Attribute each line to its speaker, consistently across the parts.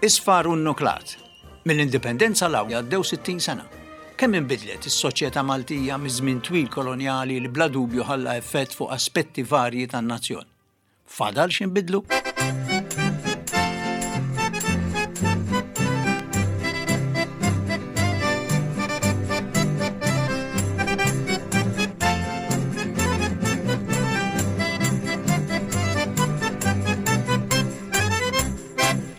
Speaker 1: Isfar u nnuklat. Mill-Indipendenza 'l hawn għaddew 60 sena. Kemm inbidlet is-soċjetà Maltija miż-żmien twil kolonjali li bla dubju ħalla effett fuq aspetti varji tan-nazzjon. Fadal x'inbidlu?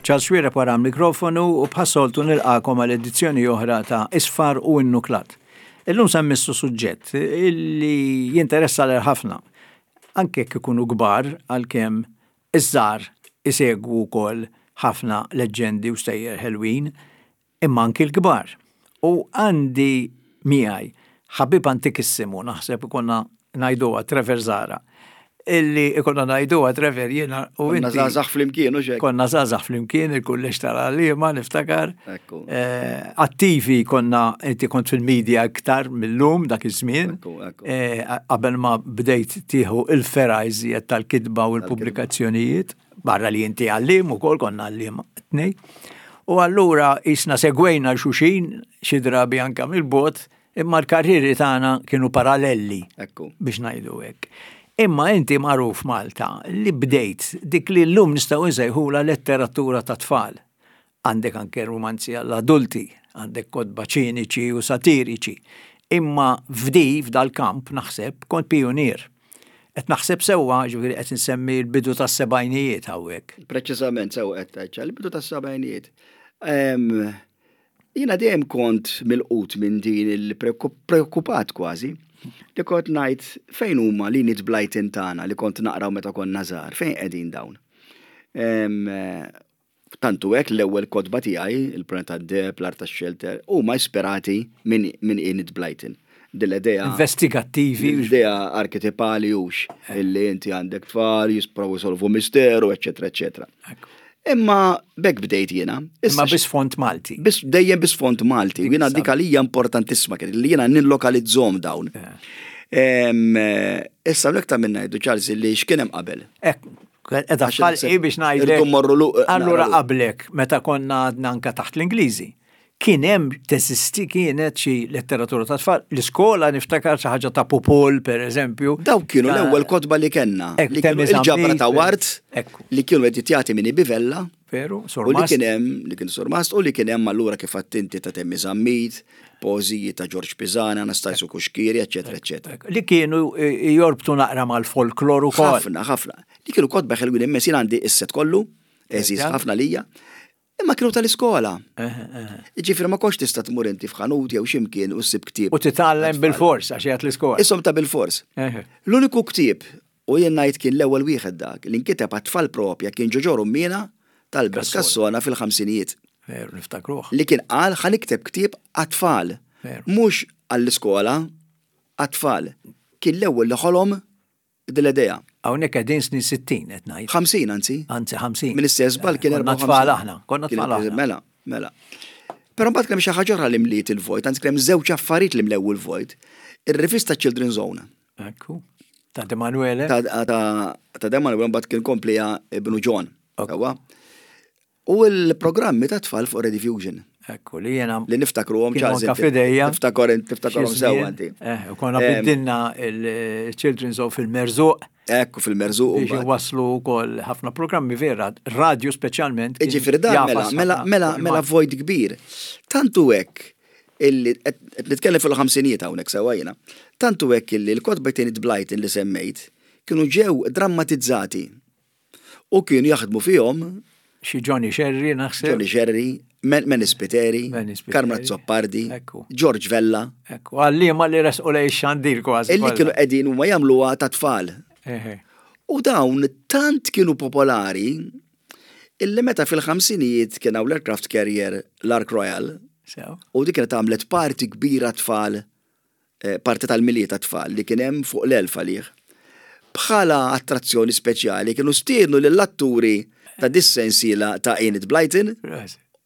Speaker 1: Charles Xuereb wara l-mikrofonu u bħas-soltu nilqakom għal edizzjoni oħra ta' Isfar u Innuklat. Illum se mmissu suġġett illi jinteressa lil ħafna, anke jekk ikunu kbar għalkemm iż-żgħar isegwu wkoll ħafna leġġendi u stejjer ħelwin. Imma anki l-kbar. U għandi miegħi ħabib antikissimu, naħseb ikonna ngħiduha Trevor Zahra, illi ikonna ngħiduha Trevor jiena u inti.
Speaker 2: Konna żgħażagħ flimkien u xek.
Speaker 1: Konna żgħażagħ flimkien il-kulleġġ tal-għalliema niftakar.
Speaker 2: Ekku.
Speaker 1: Eh, attivi konna inti kont fil-media iktar mill-lum dak iż-żmien.
Speaker 2: Ekku, ekku.
Speaker 1: Eh, qabel ma bdejt tieħu il-fergħa iżjed tal-kitba u l-pubblikazzjonijiet. Barra li inti għalliem ukoll konna għalliem tnej. U allura jisna segwejna xuxin xi drabi anka mill-bot, imma l-karrieri tagħna kienu parallelli.
Speaker 2: Ekku.
Speaker 1: Biex ngħidu hekk. Imma inti magħruf Malta li bdejt dik li llum nistgħu nsejħula letteratura ta' tfal. Għandek anke rumanzi għall-adulti, għandek kotba ċiniċi u satiriċi. Imma f'di, f'dal-kamp, naħseb, kont pijunier. Qed naħseb sewwa, ġifieri qed insemmi l-bidu tas-sebgħinijiet hawnhekk.
Speaker 2: Preċiżament sewwa qed tgħid, il-bidu tas-sebgħinijiet. Jiena dejjem kont milqut minn din il-preokkupat kważi, li kont ngħid fejn huma l-Enid Blyton tagħna li kont naqraw meta konna żgħar, fejn qegħdin dawn? Tant hu hekk l-ewwel kotba tiegħi, Il-Planeta tad-Deheb, L-Art tax-Xelter, huma ispirati minn minn Enid Blyton. Din l-idea.
Speaker 1: Investigattivi.
Speaker 2: L-idea arketipali hux illi inti għandek tfal jisprovaw isolvu misteru, eċċetera, eċċetera. Imma b'hekk bdejt jiena.
Speaker 1: Imma bi sfond Malti.
Speaker 2: Biss dejjem bi sfond Malti. Jiena dik għalija importantissima kienet li jiena nillokalizzhom dawn. Issa hawnhekk ta' min ngħidu Charles li x'kien hemm qabel.
Speaker 1: Hekk, Edha f'ħalqi biex ngħidlek. Allura qablek meta konna għadna anka taħt l-Ingliżi. Kien hemm teżisti kienet xi letteratura ta' tfal. L-iskola niftakar xi ħaġa ta' Popol pereżempju.
Speaker 2: Dawk kienu l-ewwel kotba li kellna. Li kienu il-ġabra ta' Ward li kienu editjati minn Ibivella.
Speaker 1: Veru,
Speaker 2: Surmast. U li kien hemm, li kien Surmast, u li kien hemm allura kif għedt inti ta' Temmi Zammit, poeżiji ta' Ġorġ Pisani, Anastasju Cuschieri, eċċetera, eċċetera.
Speaker 1: Li kienu jorbtu naqra mal-folklor ukoll.
Speaker 2: Ħafna, ħafna. Li kienu kotba ħelwin immens, jien għandi is-set kollu, għeżież ħafna lija, imma kienu tal-iskola. Ġifieri ma kontx tista' tmur inti f'ħanut jew xi mkien u ssib ktieb.
Speaker 1: U titgħallem bil-fors għax qiegħed l-iskola.
Speaker 2: Ishom ta' bil-fors. L-uniku ktieb U jien ngħid kien l-ewwel wieħed dak, li nkiteb għat-tfal propja kien Ġoġo Rummiena ta' Albert Cassona fil-ħamsinijiet.
Speaker 1: Veru, niftakruh.
Speaker 2: Li kien qal ħa nikteb ktieb għat-tfal. Mhux għall-iskola, għat-tfal. Kien l-ewwel li ħolom din l-idea.
Speaker 1: Hawnhekk qegħdin snin 60 qed ngħid.
Speaker 2: 50 anzi.
Speaker 1: Anzi 50.
Speaker 2: Mill-istess żball kien
Speaker 1: 54. Konna tfal aħna, konna tfal aħna.
Speaker 2: Mela, mela. Però mbagħad kien hemm xi ħaġa oħra li mliet il-vojt, anzi kien hemm żewġ affarijiet li mlew il-vojt. Ir-rivista Children's Zone.
Speaker 1: Ekku. Ta' Demanuele.
Speaker 2: Ta' ta' Demanuele mbagħad kien komplija ibnu John. Ewa. U l-programmi ta' tfal fuq Rediffusion.
Speaker 1: Ekku, li jena.
Speaker 2: Li niftakruhom
Speaker 1: ċaż. Anka fidejja.
Speaker 2: Niftakar niftakarhom sewa inti.
Speaker 1: Eh, u konna biddilna il-Children's Zone fil-Merżuq.
Speaker 2: Ekku fil-Merżuq.
Speaker 1: Biex waslu wkoll ħafna programmi vera, radio speċjalment.
Speaker 2: Ġifieri dan mela, mela, mela, mela vojt kbir. Tantu hekk illi qed nitkellem fil-ħamsinijiet hawnhekk sewwa jiena, tant hu hekk illi l-kotba ta' Enid Blyton li semmejt kienu ġew drammatizzati u kienu jaħdmu fihom
Speaker 1: Xi Johnny Scerri naħseb.
Speaker 2: Johnny Scerri, Manny Spiteri, Carmen Azzopardi, George Vella.
Speaker 1: Ekku, għalliema li resqu lejn ix-xandir kważi.
Speaker 2: Illi kienu qegħdin huma jagħmluha ta' tfal. U dawn tant kienu popolari Illi meta fil-ħamsinijiet kien hawn l-aircraft carrier l-Ark Royal, u dik kienet għamlet parti kbira tfal, eh, parti tal-miliet tfal li kien hemm fuq l-elf għalih. Bħala attrazzjoni speċjali kienu stiednu lill-atturi ta' dis-sensiela ta' Enid Blyton,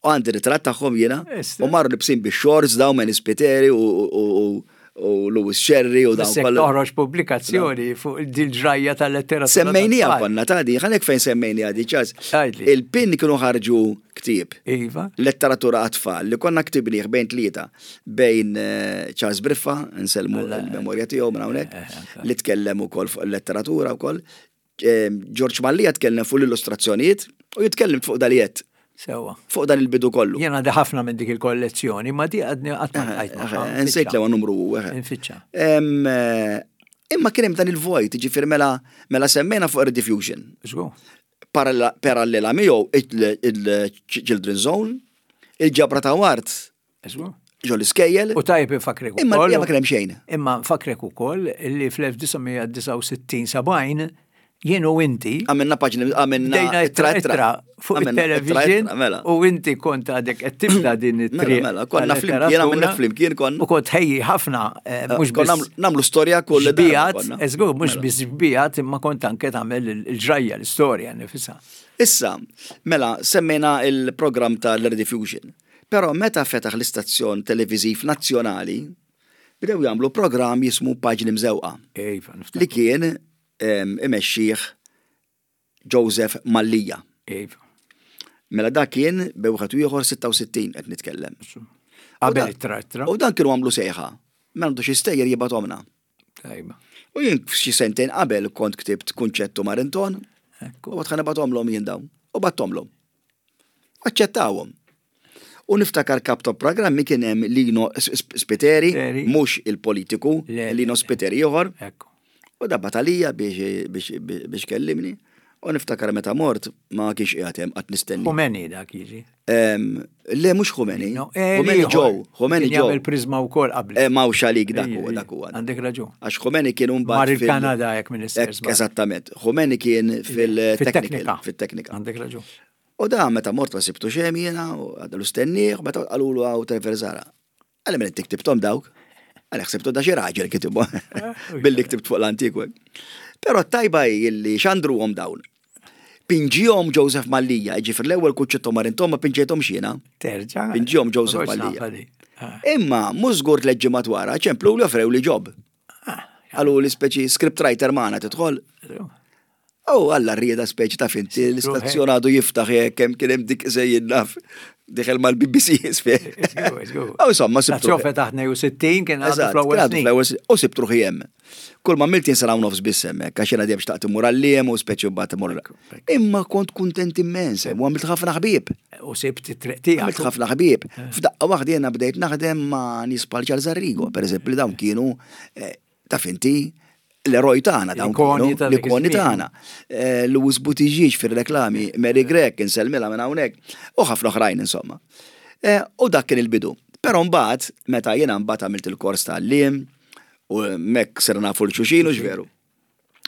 Speaker 2: u għandi ritratt tagħhom jiena, u marru libsin bix-shorts dawn Manny Spiteri u u Louis Scerri u dawn
Speaker 1: kollha. Toħroġ pubblikazzjoni fuq dil-ġrajja tal-letteratura.
Speaker 2: Semmejnija konna ta' di, ħanek fejn semmejnija di ċas. Il-pin kienu ħarġu ktieb.
Speaker 1: Iva.
Speaker 2: Letteratura għat-tfal li konna ktibnieh bejn tlieta bejn eh, Charles Briffa, nsellmu l-memorja tiegħu minn hawnhekk, eh, eh, li tkellem ukoll fuq il-letteratura wkoll. George Mallia tkellem fuq l-illustrazzjonijiet u jitkellem fuq dalijiet.
Speaker 1: Sewa.
Speaker 2: Fuq dan il-bidu kollu.
Speaker 1: Jena għandi ħafna minn dik il-kollezzjoni, ma di għadni
Speaker 2: għatma. Nsejt l numru.
Speaker 1: Nfittxa.
Speaker 2: Imma kien hemm dan il-vojt, ġifier mela mela semmejna fuq Rediffusion. Parallela miegħu il-Children's Zone, il-ġabra ta' Wart. Ġo l-iskejjel.
Speaker 1: U tajjeb infakrek
Speaker 2: ukoll. Imma ma kien hemm xejn.
Speaker 1: Imma nfakrek ukoll li fl-1969 70 jien u inti.
Speaker 2: Għamilna paġni, għamilna
Speaker 1: ittra ittra fuq il-television.
Speaker 2: Mela.
Speaker 1: U inti kont għadek qed tibda din
Speaker 2: mela, it-triq. Mela, konna flimkien, għamilna flimkien
Speaker 1: konna. U kont ħejji ħafna, eh, mhux
Speaker 2: biss. Namlu storja kull
Speaker 1: Bijat, eżgur, mhux mela. biss bijat, imma kont anke tagħmel il-ġrajja, l-istorja nifisha.
Speaker 2: Issa, mela, semmejna il-programm tal-Rediffusion. Però meta fetaħ l-istazzjon televiżiv nazzjonali, bdew jagħmlu programm jismu Paġni Mżewqa.
Speaker 1: Iva,
Speaker 2: li kien imexxih Joseph Mallia.
Speaker 1: Iva.
Speaker 2: Mela dak kien bejn wieħed u ieħor 66 qed nitkellem.
Speaker 1: Qabel it-tra.
Speaker 2: U dan kienu għamlu sejħa. Mela għandu xi stejjer jibgħathomna.
Speaker 1: Tajba.
Speaker 2: U jien xi sentejn qabel kont ktibt kunċettu Marinton. U għad ħanibathomlhom jien dawn. U battomlhom. Aċċettawhom. U niftakar kap ta' programmi kien hemm Lino Spiteri, mhux il-politiku, Lino Spiteri ieħor. U da batalija biex kellimni. U niftakar meta mort ma kienx qiegħed hemm qatt nistenni.
Speaker 1: Ħumeni dak jiġi.
Speaker 2: Le mhux Ħumeni. Eh, Ħumeni ġew, Ħumeni ġew.
Speaker 1: Il-prizma wkoll qabel.
Speaker 2: Eh, ma hux għalik dak huwa dak huwa.
Speaker 1: Għandek raġun.
Speaker 2: Għax Ħumeni kien
Speaker 1: mbagħad. Mar il-Kanada jekk minn
Speaker 2: Eżattament. Ħumeni kien fil-teknika. Fit-teknika.
Speaker 1: Għandek raġun.
Speaker 2: U da meta mort ma sibtu xem jiena, u għadalu stennieh, u meta qalulu għaw Trevor Zara. Għalli minn inti ktibtom dawk? Għalli ħsibtu da xi raġel kitibu. Billi ktibt fuq l-antiku. Però t-tajba hi illi xandruhom dawn. Pinġihom Joseph Mallia, ġifir l-ewwel kuċċittom marintom ma pinġejthomx jiena.
Speaker 1: Terġa'.
Speaker 2: Pinġihom Joseph Mallia. Ah. Imma mhux żgur tliet ġimgħat wara ċemplu li offrew li job. Ah, Għalu li speċi scriptwriter magħna tidħol. Oh, Alla rieda speċi ta' finti, l-istazzjon għadu jiftaħ jekk hemm kien hemm dik sejjin naf. Diħel mal-BBC
Speaker 1: spjeg.
Speaker 2: Oh, insomma, sibtu.
Speaker 1: Stazzjon fetaħ 62 kien għadu fl-ewwel snin.
Speaker 2: U sibt ruħi hemm. Kull ma għamilt jien sena u nofs biss hemmhekk, għax jiena dejjem xtaqt immur għalliem u speċi mbagħad immur. Imma kont kuntent immens u għamilt ħafna ħbieb.
Speaker 1: U sibt it-triq tiegħek.
Speaker 2: Għamilt ħafna ħbieb. Eh. F'daqqa waħda jiena bdejt naħdem ma' nies bħal Charles Arrigo, pereżempju li dawn kienu eh, Taf inti, l-eroj tagħna dawn kienu, l-ikoni tagħna. Eh, Louis Buttigieg fir-reklami, Mary Grech insellmilha minn hawnhekk, u ħafna oħrajn insomma. Eh, u dak kien il-bidu. Però mbagħad, meta jiena mbagħad għamilt il-kors tal-lim, u mek sirna nafu l-xuxin u x'veru.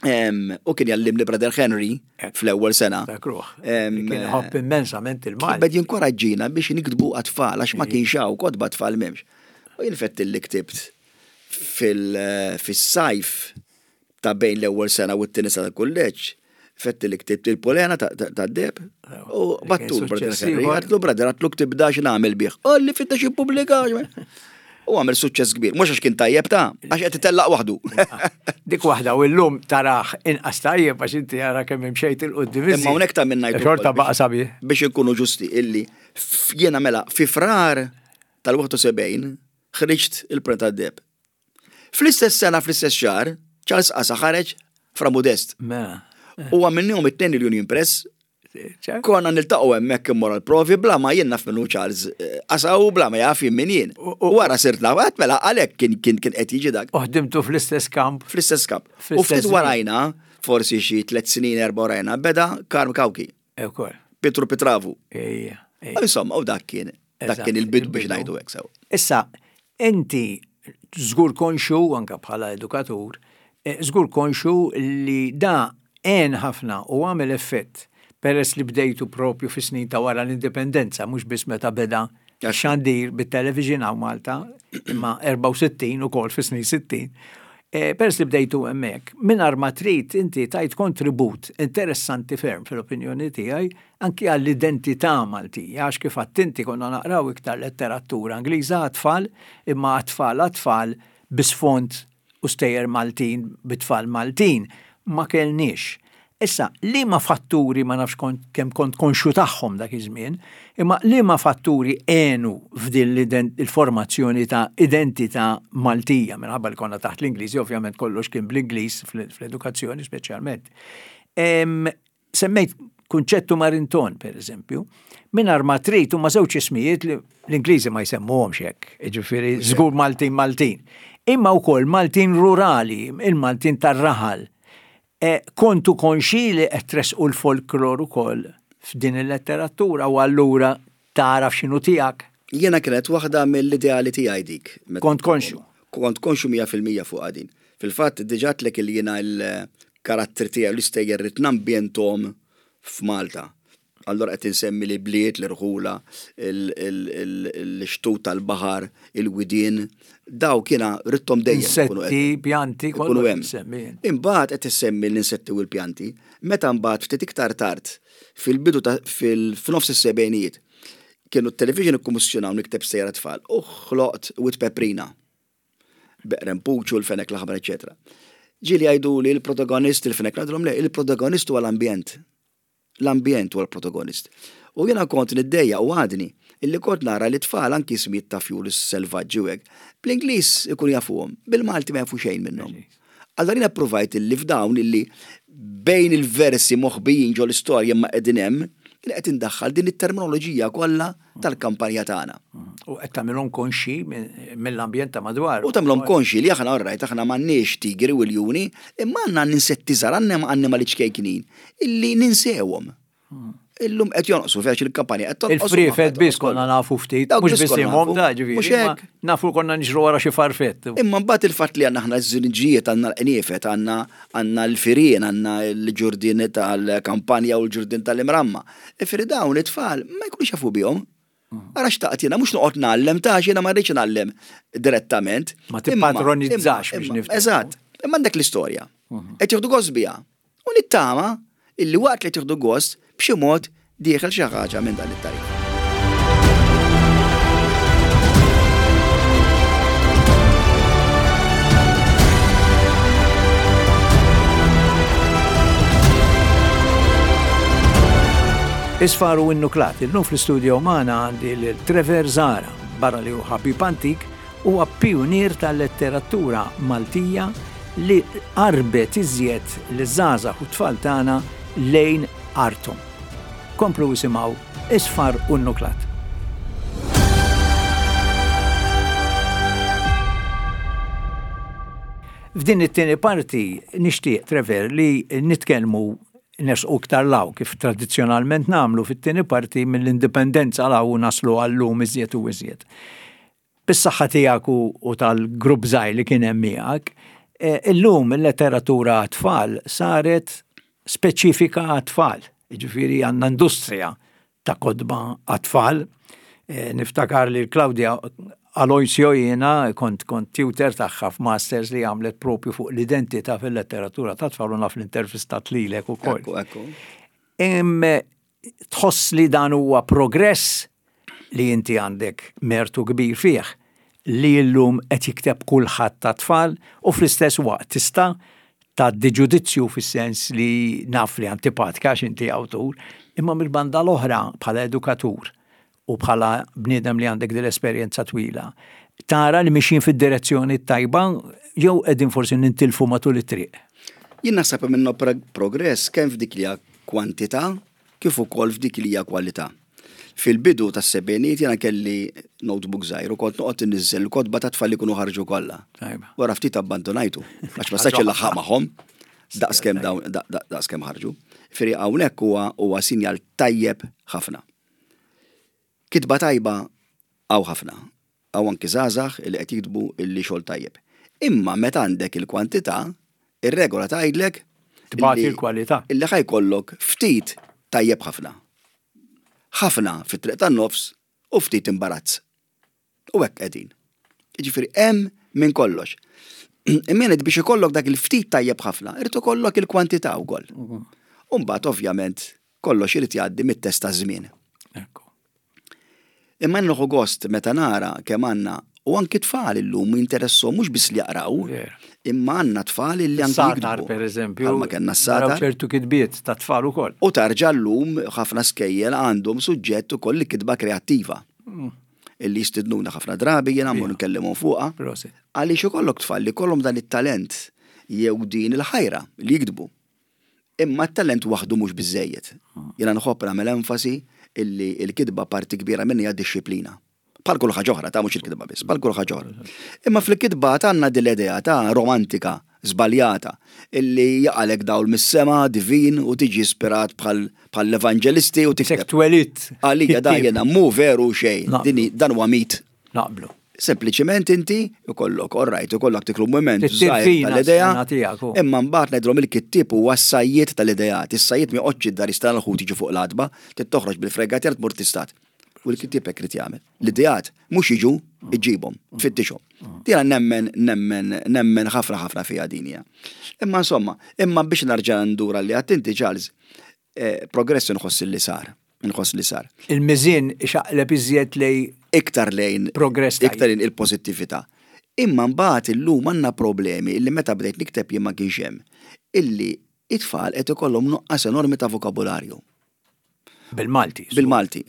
Speaker 2: U kien jallimni Brother Henry fl-ewwel sena.
Speaker 1: Kien ħobb immensament il-Malti.
Speaker 2: Bed jinkoraġġina biex niktbu għat-tfal għax ma kienx hawn kotba tfal m'hemmx. U jien fett li ktibt fis-sajf ta' bejn l-ewwel sena u t-tieni sena tal-kulleġġ, fetti li ktibt il-polena tad-deheb u battu l-brother Henry. Għatlu brother, għatlu ktib da x'nagħmel bih. Qalli fittex jippubblika. U għamel suċċess kbir. Mhux għax kien tajjeb ta' għax qed itellaq waħdu.
Speaker 1: Dik waħda u llum tarah inqas tajjeb għax inti ara kemm imxejt il qudiem.
Speaker 2: Imma hawnhekk ta' minn ngħidu.
Speaker 1: Xorta baqa' sabiħ.
Speaker 2: Biex inkunu ġusti illi jiena mela fi frar tal-71 ħriġt il-Prem tad-Deheb. Fl-istess sena fl-istess xahar, Charles Qasa ħareġ Fra Modest.
Speaker 1: Mela.
Speaker 2: U għamilnihom it-tnejn il-Union Press. Konna niltaqgħu hemmhekk immur għall-provi bla ma jien naf min hu Charles eh, Qasa u bla ma jaf jien min jien. U wara sirt naf, għad mela għalhekk kien kien kien qed jiġi dak.
Speaker 1: U ħdimtu fl-istess kamp.
Speaker 2: Fl-istess kamp. U ftit warajna, forsi xi tliet snin erba' warajna, beda Karm Kawki.
Speaker 1: Ukoll.
Speaker 2: Pietru Pitravu.
Speaker 1: Ejja.
Speaker 2: Insomma, u dak kien. Dak kien il-bidu biex ngħidu hekk sew.
Speaker 1: Issa, inti żgur konxu anke bħala edukatur, eh, żgur konxu li da għen ħafna u għamel effett peress li bdejtu propju fi snin ta' wara l-indipendenza, mhux biss meta beda xandir bit-television hawn Malta, imma 64 ukoll fi snin 60. Eh, peress li bdejtu hemmhekk, mingħajr ma trid inti tajt kontribut interessanti ferm fil-opinjoni tiegħi anki għall-identità Maltija, għax kif għedt inti konna naqraw iktar letteratura Ingliża għat-tfal, imma għat-tfal għat-tfal bi sfond u stejjer Maltin bi tfal Maltin ma kellniex. Issa, liema fatturi, ma nafx kont kemm kont konxju tagħhom dak iż-żmien, imma liema fatturi għenu f'din il-formazzjoni ta' identità Maltija, minħabba li konna taħt l-Ingliżi, ovvjament kollox kien bl-Ingliż fl-edukazzjoni speċjalment. Semmejt kunċettu Marinton, per eżempju, mingħajr ma trid huma żewġ ismijiet li l-Ingliżi ma jsemmuhomx hekk, jiġifieri żgur Maltin Maltin. Imma wkoll Maltin rurali, il-Maltin tar-raħal. E, kontu konxi li qed tressqu l-folklor ukoll f'din il-letteratura u allura tagħraf x'inhu tiegħek?
Speaker 2: Jiena kienet waħda mill-ideali tiegħi dik.
Speaker 1: Kont konxju?
Speaker 2: Kont konxju 100% fuqha din. Fil-fatt diġà għedtlek illi jiena l-karattri tiegħi u l-istejjer ridt nambjenthom f'Malta. Allura qed insemmi l-ibliet, l-irħula, l-xtut tal-baħar, il-widien, dawk jiena ridthom dejjem
Speaker 1: ikunu qed. Insetti, pjanti,
Speaker 2: kollox hemm. Imbagħad qed issemmi l-insetti u l-pjanti, meta mbagħad ftit iktar tard, fil-bidu ta' f'nofs is-sebgħinijiet, kienu t-television ikkummissjonaw nikteb stejjer għat-tfal u ħloqt Wied Peprina. Beqrem Puċu, l-Fenek l-Aħmar, eċċetera. Ġieli jgħiduli l-protagonist il-Fenek, ngħidilhom le, il-protagonist huwa l-ambjent. L-ambjent huwa l-protagonist. U jiena kont niddejjaq u għadni illi kont nara li t-tfal anki ismijiet ta' fjuri selvaġġi u hekk, bl-Ingliż ikunu jafuhom, bil-Malti ma jafu xejn minnhom. Allura jiena ppruvajt illi f'dawn illi bejn il-versi moħbijin ġol-istorja imma qegħdin hemm, jien qed indaħħal din it-terminoloġija kollha tal-kampanja tagħna.
Speaker 1: U qed tagħmilhom konxji mill-ambjent ta' madwar.
Speaker 2: U tagħmilhom konxji li aħna all right, aħna m'għandniex tigri u ljuni, imma għandna insetti żgħar, għandna annimali ċkejknin illi ninsewhom. Illum qed jonqsu għax il-kampanja qed
Speaker 1: tonqos. Il-friefet biss konna nafu ftit, mhux biss imhom da ġifieri. Mhux hekk. Nafu konna niġru wara xi farfett.
Speaker 2: Imma mbagħad il-fatt li għandna aħna ż-żrinġijiet, għandna l-qniefet, għandna għandna l-firien, għandna l-ġurdien tal-kampanja u l-ġurdien tal-imramma. Ifieri dawn it-tfal ma jkunux jafu bihom. Ara xtaqt jiena mhux noqgħod ngħallem ta' jiena ma rridx ngħallem direttament.
Speaker 1: Ma tippatronizzax biex
Speaker 2: nifhem. Eżatt. Imma għandek l-istorja. Qed jieħdu gost biha. U nittama illi waqt li tieħdu gost b'xi mod dieħel xi ħaġa minn dan it-tagħrif.
Speaker 1: Isfar u Innuklat. Illum fl-istudio magħna għandi lil Trevor Zahra, barra li hu ħabib antik, huwa pijunier tal-letteratura Maltija li qarbet iżjed liż-żgħażagħ u t-tfal tagħna lejn arthom. Komplu isimgħu Isfar u Nnuklat. F'din it-tieni parti nixtieq, Trevor, li nitkellmu nersqu iktar 'l hawn kif tradizzjonalment nagħmlu fit-tieni parti mill-Indipendenza 'l hawn u naslu għal-lum iżjed u iżjed. Bis-saħħa tiegħek u tal-grupp żgħir li kien hemm miegħek, illum il-letteratura għat-tfal saret speċifika għat-tfal. Jiġifieri għandna industrija ta' kotba għat-tfal. Niftakar li Claudia Aloisio jiena kont kont tutor tagħha f'masters li għamlet propju fuq l-identità fil-letteratura tat-tfal u naf l-intervistat lilek ukoll.
Speaker 2: Ekku, ekku.
Speaker 1: Tħoss li dan huwa progress li inti għandek mertu kbir fih li llum qed jikteb kulħadd tat-tfal u fl-istess waqt tista' tgħaddi ġudizzju fis-sens li naf li antipatika għax inti awtur, imma mill-banda l-oħra bħala edukatur u bħala bniedem li għandek din l-esperjenza twila, tara li mixjin fid-direzzjoni t-tajba jew qegħdin forsi nintilfu matul it-triq?
Speaker 2: Jien naħseb għamilna progress kemm f'dik li hija kwantità kif ukoll f'dik li hija kwalità. Fil-bidu tas-sebgħinijiet jiena kelli notebook żgħir u kont noqgħod inniżżel il-kotba tat-tfal li jkunu ħarġu kollha. Wara ftit abbandunajtu għax ma stajtx inlaħħaq magħhom daqskemm dawn daqskemm ħarġu. Jiġifieri hawnhekk huwa huwa sinjal tajjeb ħafna. Kitba tajba hawn ħafna. Hawn anki żgħażagħ li qed jiktbu illi xogħol tajjeb. Imma meta għandek il-kwantità, ir-regola tgħidlek
Speaker 1: Tbati l-kwalità.
Speaker 2: Illi ħa jkollok ftit tajjeb ħafna. Ħafna fit-triq tan-nofs u ftit imbarazz. U hekk qegħdin. Jiġifieri hemm minn kollox. Imma jien biex ikollok dak il-ftit tajjeb ħafna, irid ikollok il-kwantità wkoll. U mbagħad ovvjament kollox irid jgħaddi mit-test taż-żmien. Imma nieħu gost meta nara kemm għandna U anki tfal illum jinteressom mhux biss li jaqraw, imma għandna tfal illi anki
Speaker 1: Satar, per eżempju.
Speaker 2: Ma kellna s-satar.
Speaker 1: ċertu kitbiet ta' tfal ukoll.
Speaker 2: U tarġa llum ħafna skejjel għandhom suġġett ukoll li kitba kreattiva. Illi jistidnuna ħafna drabi jiena mmur nkellimhom fuqha. Għaliex ikollok tfal li kollhom dan it-talent jew din il-ħajra li jiktbu. Imma t-talent waħdu mhux biżejjed. Jiena nħobb nagħmel enfasi illi l-kitba parti kbira minnha hija dixxiplina. Bħal kull ħaġa oħra, ta' mhux il-kitba biss, bħal kull ħaġa oħra. Imma fil-kitba għandna din l-idea ta' romantika żbaljata illi jaqalek dawl mis-sema divin u tiġi ispirat bħal l-evanġelisti u
Speaker 1: tikteb. Twelidt.
Speaker 2: Għalija da jiena mhu veru xejn, dan huwa mit.
Speaker 1: Naqblu.
Speaker 2: Sempliċiment inti ikollok, all right, ikollok dik l-mument żgħir tal-idea. Imma mbagħad ngħidilhom il-kittieb huwa s-sajjied tal-ideat. Is-sajjied ma joqgħodx id-dar jistenna l-ħut jiġi fuq l-għatba, trid toħroġ bil-fregatier tmur tistad. U l-kittieb hekk irid jagħmel. L-ideat mhux jiġu, iġġibhom, tfittixhom. Dina nemmen, nemmen, nemmen ħafna ħafna fiha din hija. Imma insomma, imma biex narġa' ndura li għedt inti Charles, eh, progress inħoss li sar. Inħoss li sar.
Speaker 1: Il-miżien xaqleb iżjed lej
Speaker 2: iktar lejn
Speaker 1: progress
Speaker 2: iktar lejn il-pożittività. Imma mbagħad illum għandna problemi illi meta bdejt nikteb jien ma kienx hemm. Illi it-tfal qed ikollhom nuqqas enormi ta' vokabularju.
Speaker 1: Bil-Malti.
Speaker 2: Bil-Malti.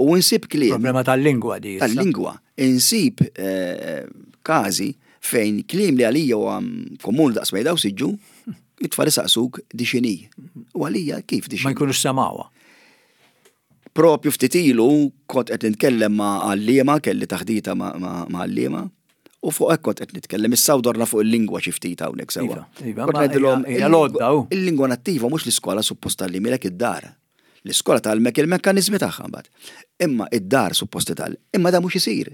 Speaker 2: U insib kliem.
Speaker 1: Problema tal-lingwa di.
Speaker 2: Tal-lingwa. Insib eh, każi fejn kliem li għalija huwa komun daqs ma jdaw siġġu, it-tfal isaqsuk di xini. U għalija kif di
Speaker 1: xini? Ma jkunux samawa.
Speaker 2: Propju ftit ilu kont qed nitkellem ma' għalliema, kelli taħdita ma' għalliema, u fuq hekk kont qed nitkellem. Issa dorna fuq il-lingwa xi ftit hawnhekk
Speaker 1: sewwa. Iva, iva, kont ngħidilhom
Speaker 2: il-lingwa nattiva mhux l-iskola suppost tgħallimilek id-dar. L-iskola tgħallmek il-mekkaniżmi tagħha mbagħad. Imma id-dar suppost titgħallem. Imma da mhux isir.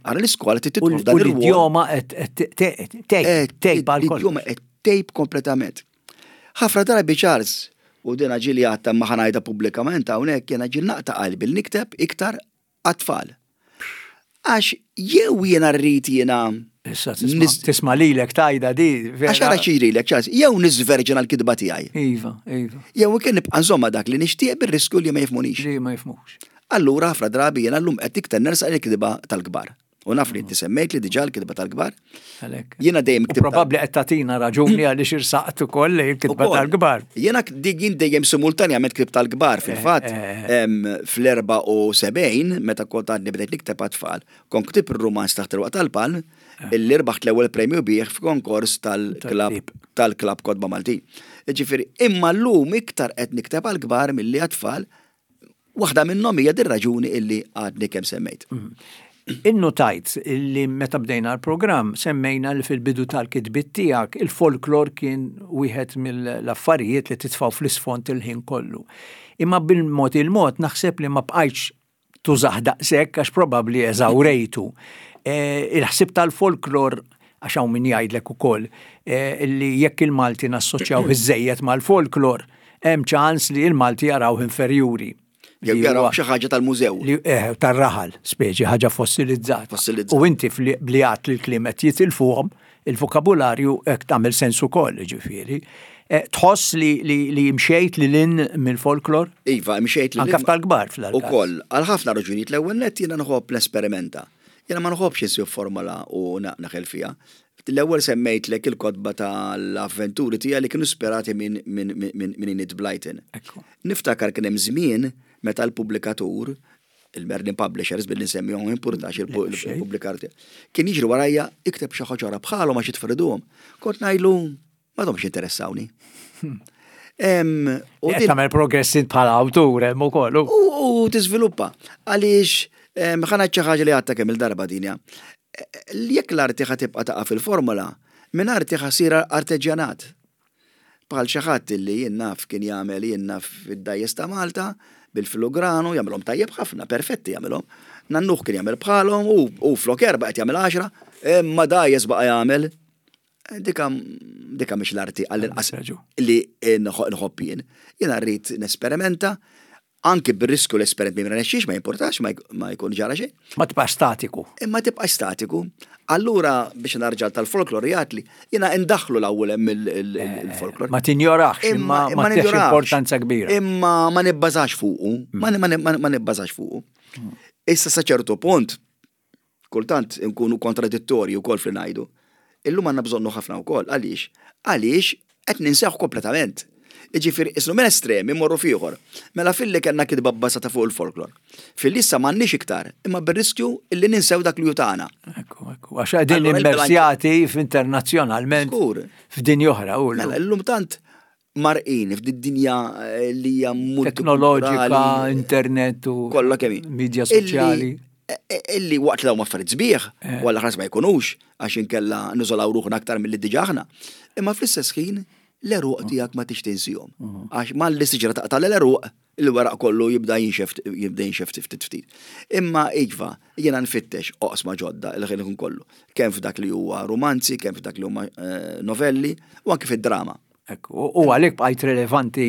Speaker 2: Ara l-iskola trid tidħol
Speaker 1: f'dan ir-rwol. L-idjoma qed tgħib
Speaker 2: għal L-idjoma qed tgħib kompletament. Ħafna drabi Charles, u din ġieli għadtha imma ħa ngħidha pubblikament hawnhekk, jiena ġieli naqta' qalbi li nikteb iktar għat-tfal. Għax jew jiena rrid jiena
Speaker 1: Issa tisma' lilek tajda di.
Speaker 2: Għax ara x'jiġrilek Charles, jew niżverġina l-kitba tiegħi.
Speaker 1: Iva, iva.
Speaker 2: Jew inkella nibqa' nżommha dak li nixtieq bir-riskju li ma jifhmunix.
Speaker 1: Li ma jifhmux.
Speaker 2: Allura ħafna drabi jiena llum qed iktar nersaq il-kitba tal-kbar. U naf li inti semmejt li diġà l-kitba tal-kbar. Jiena dejjem
Speaker 1: ktibt. Probabbli qed tagħtina raġuni għaliex irsaqt ukoll lejn il-kitba tal-kbar.
Speaker 2: Jiena jien dejjem simultanjament ktibt tal-kbar fil-fatt. Fl-74 meta kont għadni bdejt nikteb għat-tfal, kont ktibt ir-rumanz Taħt il-Waqt tal-Palm illi rbaħt l-ewwel premju bih f'konkors tal-klabb tal-klabb Kotba Maltin. Jiġifieri, imma llum iktar qed nikteb għall-kbar milli għat-tfal Waħda minnhom hija dir-raġuni illi għadni kemm semmejt.
Speaker 1: Innutajt li meta bdejna l-programm semmejna li fil-bidu tal-kitbiet tiegħek il-folklor kien wieħed mill-affarijiet li titfgħu fl-isfond il-ħin kollu. Imma bil-mod il-mod naħseb li ma bqajtx tużah daqshekk għax probabbli eżawrejtu. Il-ħsieb tal-folklor għax hawn min jgħidlek ukoll li jekk il-Malti nassoċjaw iżżejjed mal-folklor, hemm ċans li l-Malti jarawh inferjuri.
Speaker 2: Jew jaraw xi ħaġa tal-mużew.
Speaker 1: Eh, tar-raħal, speċi ħaġa fossilizzata. U inti bli għat li l-kliem qed jitilfuhom, il-vokabularju hekk tagħmel sens ukoll, ġifieri. Eh, tħoss li, li, li mxejt li lin mill-folklor?
Speaker 2: Iva, mxejt li.
Speaker 1: Anka tal-kbar fl
Speaker 2: Ukoll, għal ħafna raġunijiet l-ewwel nett jiena nħobb nesperimenta. Jiena ma nħobbx insib formola u naħel fiha. L-ewwel semmejtlek il-kotba tal-avventuri tiegħi li kienu ispirati minn minn minn minn Enid Blyton. Niftakar kien hemm żmien meta l-pubblikatur, il-Merlin Publishers billi nsemmihom ma jimpurtax il-pubblikar tiegħi, kien jiġri warajja ikteb xi ħaġa oħra bħalhom għax jitfirduhom. Kont ngħidlu m'għadhomx jinteressawni.
Speaker 1: U tagħmel progress int bħala awtur hemm ukoll.
Speaker 2: U tiżviluppa. Għaliex ħa ngħid xi ħaġa li għadtha kemm il-darba din hija. Jekk l-arti ħa tibqa' taqa' fil-formola, minn arti ħa ssir arteġjanat. Bħal xi ħadd illi jien naf kien jagħmel jien naf id-dgħajjes ta' Malta bil-filugranu, jagħmilhom tajjeb ħafna, perfetti jagħmilhom. Nannuh kien jagħmel bħalhom u flok erbgħa qed jagħmel għaxra, imma dgħajjes baqa' jagħmel. Dika dika mhix l-arti għall-inqas li nħobb jien. Jiena rrid nesperimenta, anki bir-riskju l-esperiment ma jirnexxix, ma jimpurtax, ma jkun ġara xejn.
Speaker 1: Ma tibqax statiku.
Speaker 2: Imma tibqax statiku. Allura biex narġa' tal-folklor jgħid li jiena indaħħlu l-ewwel hemm il-folklor.
Speaker 1: Ma tinjorax, imma ma tiex importanza kbira.
Speaker 2: Imma ma nibbażax fuqu, ma nibbażax fuqu. Issa sa ċertu punt, Kultant inkunu kontradittorji wkoll fli ngħidu. Illum għandna bżonnu ħafna wkoll. Għaliex? Għaliex qed ninsewh kompletament. Jiġifieri isnu minn estrem immorru f'ieħor. Mela filli kellna kitba bbażata fuq il-folklor. Filli issa m'għandniex iktar, imma bir-riskju illi ninsew dak li hu tagħna.
Speaker 1: Ekku, ekku, għax qegħdin immersjati f'internazzjonalment f'dinja oħra.
Speaker 2: Mela illum tant marqin f'did-dinja eh, li hija
Speaker 1: teknoloġika, internet u
Speaker 2: kollha kemm
Speaker 1: media soċjali.
Speaker 2: Eh, eh, illi waqt li huma affarijiet sbieħ, u għalla ħares ma jkunux għax inkella niżolaw ruħna aktar milli diġà aħna. Imma fl-istess ħin l-eruq tiegħek ma tix tinsihom. Mhm. Għax malli siġra taqta' l-eruq, il-weraq kollu jibda jinxef jibda jinxef ftit ftit. Imma iva, jiena nfittex oqsma ġodda il-ħin ikun kollu. Kemm f'dak li huwa rumanzi, kemm f'dak li huma eh, novelli, u anke fid-drama.
Speaker 1: U għalhekk bqajt relevanti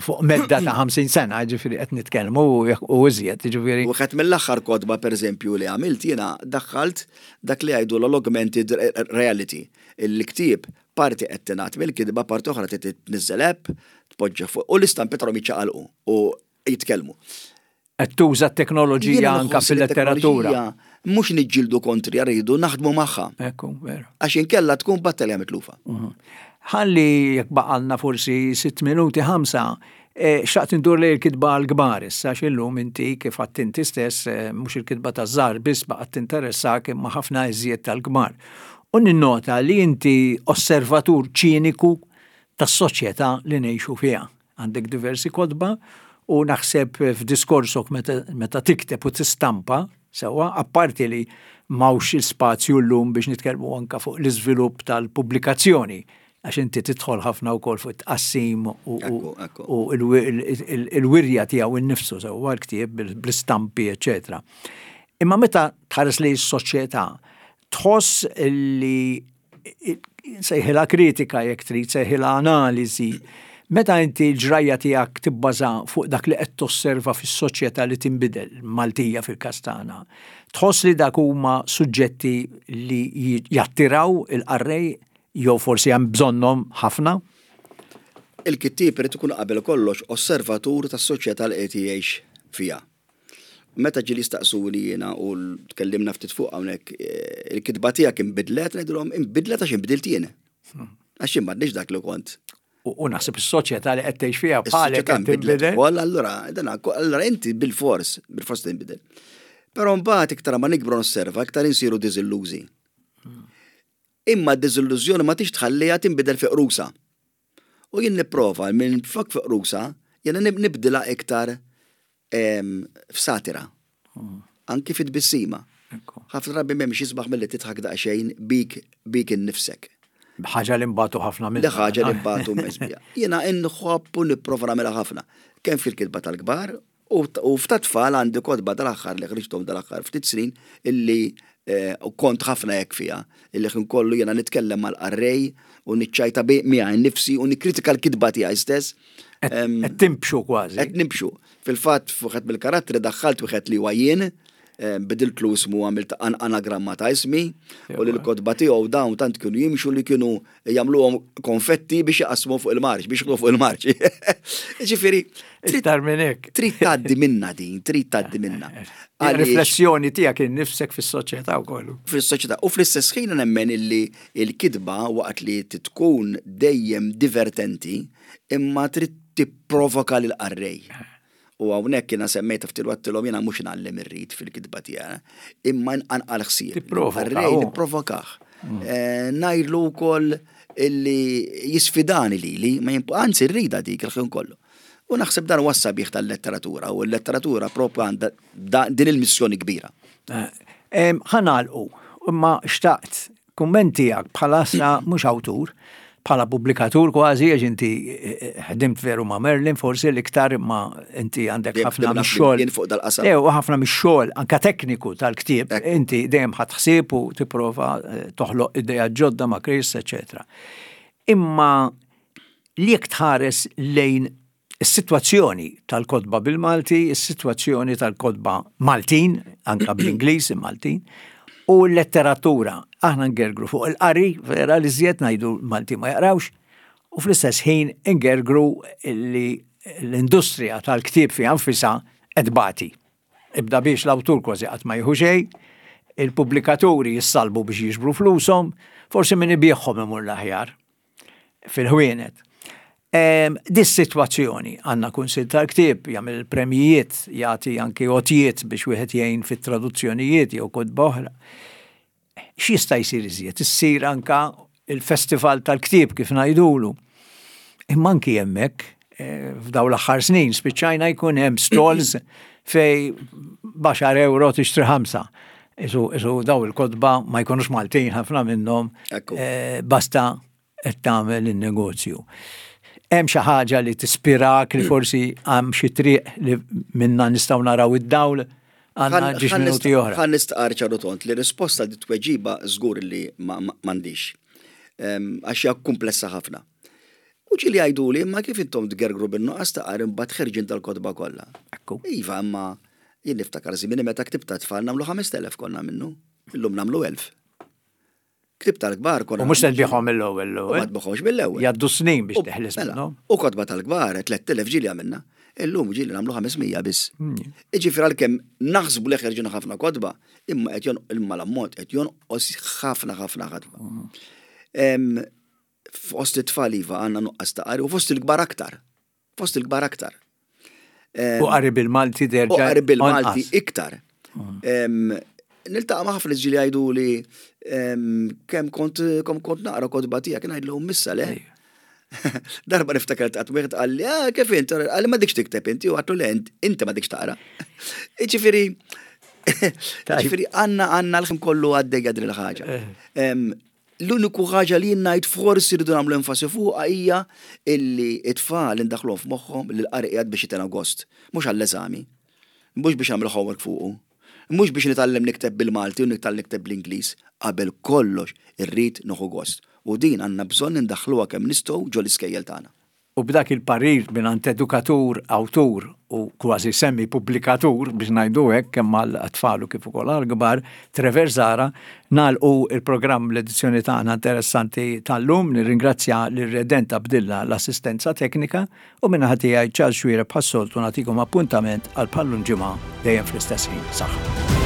Speaker 1: fuq medda ta' 50 sena, ġifieri qed nitkellmu u iżjed, ġifieri.
Speaker 2: Wieħed mill-aħħar kotba pereżempju li għamilt jiena daħħalt dak li jgħidu l-augmented reality. Il-ktieb parti qed tingħad mill-kitba, parti oħra trid tniżżel app, tpoġġi fuq u l-istampi tarhom jiċċaqalqu u jitkellmu.
Speaker 1: Qed tuża t-teknoloġija anka fil-letteratura.
Speaker 2: Mhux niġġieldu kontriha rridu naħdmu magħha.
Speaker 1: Ekku, veru.
Speaker 2: Għax inkella tkun battalja mitlufa. Mhm.
Speaker 1: Ħalli jekk baqalna forsi sitt minuti ħamsa, eh, xtaqt indur lejn il-kitba għall-kbar issa x'illum inti kif għedt inti stess eh, mhux il-kitba taż-żgħar biss baqgħet tinteressak imma ħafna iżjed tal-kbar. U ninnota li inti osservatur ċiniku tas-soċjetà li ngħixu fiha. Għandek diversi kotba u naħseb f'diskorsok meta, meta tikteb u tistampa, sewwa, apparti li m'hawnx spazju llum biex nitkellmu anka fuq l-iżvilupp tal-pubblikazzjoni, għax inti tidħol ħafna wkoll fuq it-tqassim u il-wirja tiegħu innifsu sewwa l-ktieb bl-istampi, eċetera. Imma meta tħares li s-soċjetà tħoss li sejħilha kritika jekk trid, sejħilha analiżi. Meta inti l-ġrajja tiegħek tibbaża fuq dak li qed tosserva fis-soċjetà li tinbidel, Maltija fil-każ tagħna, tħoss li dak huma suġġetti li jattiraw il-qarrej jew forsi hemm bżonnhom ħafna?
Speaker 2: Il-kittieb irid ikun qabel kollox osservatur tas-soċjetà li qed jgħix fiha. Meta ġieli jistaqsuni jiena u tkellimna ftit fuq hawnhekk, eh, il-kitba tiegħek inbidlet, ngħidilhom inbidlet għax inbdilt jien. Hmm. Għax jien m'għadniex dak li kont.
Speaker 1: U naħseb is-soċjetà li qed tgħix fiha bħalek qed
Speaker 2: tinbidel. Ukoll allura, dan allura inti bil-fors, bil-fors tinbidel. Però mbagħad iktar ma nikbru nosserva, iktar insiru diżillużi. Hmm. Imma d-diżillużjoni ma tix tħalliha tinbidel fi qrusa. U jien nipprova minn flok fi qrusa, jiena nibdilha iktar f'satira. Anki fi tbissima. Ħafna drabi m'hemmx isbaħ milli tidħak daqsxejn bik bik innifsek.
Speaker 1: Ħaġa li nbatu ħafna
Speaker 2: minnha. Ħaġa li nbatu mezbija. Jiena nħobb u nipprova nagħmilha ħafna. Kemm fil-kitba tal-kbar U f'ta' tfal għandi kotba dal-aħħar li ħriġthom dal-aħħar ftit snin illi kont ħafna hekk fiha, illi ħin kollu jiena nitkellem mal-qarrej u niċċajta miegħi nnifsi u nikkritika l-kitba tiegħi stess.
Speaker 1: Qed timbxu kważi.
Speaker 2: Qed nimbxu. Fil-fatt f'wieħed mill-karattri daħħalt wieħed li huwa jien, bidiltlu ismu għamilt anagramma ta' ismi u li l-kotba tiegħu dawn tant kienu jimxu li kienu jagħmluhom konfetti biex jaqasmu fuq il-marċ, biex fuq il-marċ. Ġifieri,
Speaker 1: iktar minn hekk.
Speaker 2: Trid tgħaddi minna din, trid tgħaddi minna.
Speaker 1: Riflessjoni tiegħek innifsek fis-soċjetà wkoll.
Speaker 2: Fis-soċjetà u fl-istess ħin nemmen illi l-kitba waqt li tkun dejjem divertenti imma trid tipprovoka lill-qarrej. U hawnhekk jiena semmejtha ftit għedtilhom jiena mhux ngħallem irrid fil-kitba tiegħi, imma nqanqal ħsieb.
Speaker 1: Tipprovoka.
Speaker 2: Nipprovokah. Mm. Eh, ngħidlu wkoll illi jisfidani lili, ma jimp anzi rrida dik il-ħin kollu. U naħseb dan huwa sabiħ tal-letteratura u l-letteratura propju għandha din il-missjoni kbira.
Speaker 1: Eh, ħanalqu, imma xtaqt Kumment tiegħek bħala sa mhux awtur, bħala pubblikatur kważi għax inti eh, eh, ħdimt veru ma' Merlin forsi l-iktar imma inti għandek ħafna mix-xogħol.
Speaker 2: fuq dal-qasam.
Speaker 1: Eh, u ħafna mix-xogħol anka tekniku tal-ktieb, inti dejjem ħadd ħsieb u tipprova toħloq idea ġodda ma' Chris, eċetera. Imma li jekk tħares lejn is-sitwazzjoni tal-kotba bil-Malti, is-sitwazzjoni tal-kotba Maltin, anka bl-Ingliż Maltin, u l-letteratura. Aħna ngergru fuq il-qari, vera li żjed ngħidu Malti ma jaqrawx, u fl-istess ħin ingergru li l-industrija tal-ktieb fi anfisha qed bati. Ibda biex l-awtur kważi qatt ma jieħu xejn. Il-pubblikaturi jissalbu biex jiġbru flushom, forsi min ibigħhom imur l-aħjar fil-ħwienet. Dis-sitwazzjoni għandna kunsill tal-ktieb jagħmel il-premjijiet, jagħti anki għotjiet biex wieħed jgħin fit-traduzzjonijiet jew kotba oħra. X'jista' jsir iżjed? Issir anka il-festival tal-ktieb kif ngħidulu. Imma anki hemmhekk eh, f'daw l-aħħar snin spiċċajna jkun hemm stalls fej baxar euro tixtri ħamsa. Isu, isu daw il-kotba ma jkunux Maltin ħafna minnhom eh, basta qed tagħmel in-negozju. Hemm xi ħaġa li tispirak li forsi hemm xi triq li minna nistgħu naraw id-dawl għandna ġiex minuti oħra.
Speaker 2: Ħa nistqarr ċar u tond li risposta di tweġiba żgur li m'għandix. Għax hija kumplessa ħafna. U ġieli jgħiduli imma kif intom tgergru bin-nuqqas ta' qari mbagħad ħerġin tal-kotba kollha.
Speaker 1: Ekku.
Speaker 2: Iva, imma jien niftakar żmieni meta ktibt għat-tfal nagħmlu 5000 konna minnu. Illum nagħmlu 1000. Ktieb tal-kbar
Speaker 1: konna. U mhux se tbigħhom mill-ewwel
Speaker 2: l-ewwel. Ma tbigħhomx mill-ewwel.
Speaker 1: Jgħaddu snin biex teħles mela, minnhom.
Speaker 2: U kotba tal-kbar 3000 ġieli għamilna. Illum ġieli nagħmlu 500 biss. Hmm. Iġifieri għalkemm naħsbu li ħerġina ħafna kotba, imma qed jonqos imma l-ammont qed jonqos ħafna ħafna ħafna. Hmm. Fost it-tfal iva għandna nuqqas ta' qari u fost il-kbar aktar. Fost il-kbar aktar.
Speaker 1: U qari bil-Malti
Speaker 2: derġa. U qari bil-Malti iktar. Mm. Niltaqa' ma' ħafna ġili jgħidu li kemm kont kemm kont naqra kotba tiegħek ngħidlhom missa le. Darba niftakar ta' wieħed qalli, ah, kif int? Qalli ma dikx tikteb inti u għatlu le inti ma dikx taqra. Ġifieri ġifieri għandna għandna l-ħin kollu għaddejja din il-ħaġa. Eh. L-uniku ħaġa li jien ngħid forsi rridu nagħmlu enfasi fuqha hija illi t-tfal indaħħluhom f'moħħhom li l-qari qiegħed biex jitena gost, mhux għall-eżami, mhux biex nagħmel homework fuqu, mhux biex nitgħallem nikteb bil-Malti u nitgħallem nikteb bl-Ingliż, qabel kollox irrid nieħu gost. U din għandna bżonn indaħħluha kemm nistgħu ġol-iskejjel tagħna.
Speaker 1: U b'dak il-parir mingħand edukatur, awtur u kważi semi-pubblikatur, biex ngħidu hekk, kemm għall-tfal u kif ukoll għall-kbar, Trevor Zahra, nagħlqu l-programm l-edizzjoni tagħna interessanti tal-lum. Nirringrazzja lil Redent Abdilla l-assistenza teknika u min-naħa tiegħi Charles Xuereb bħas-soltu nagħtikom appuntament għal bħal-lum ġimgħa dejjem fl-istess ħin. Saħħa.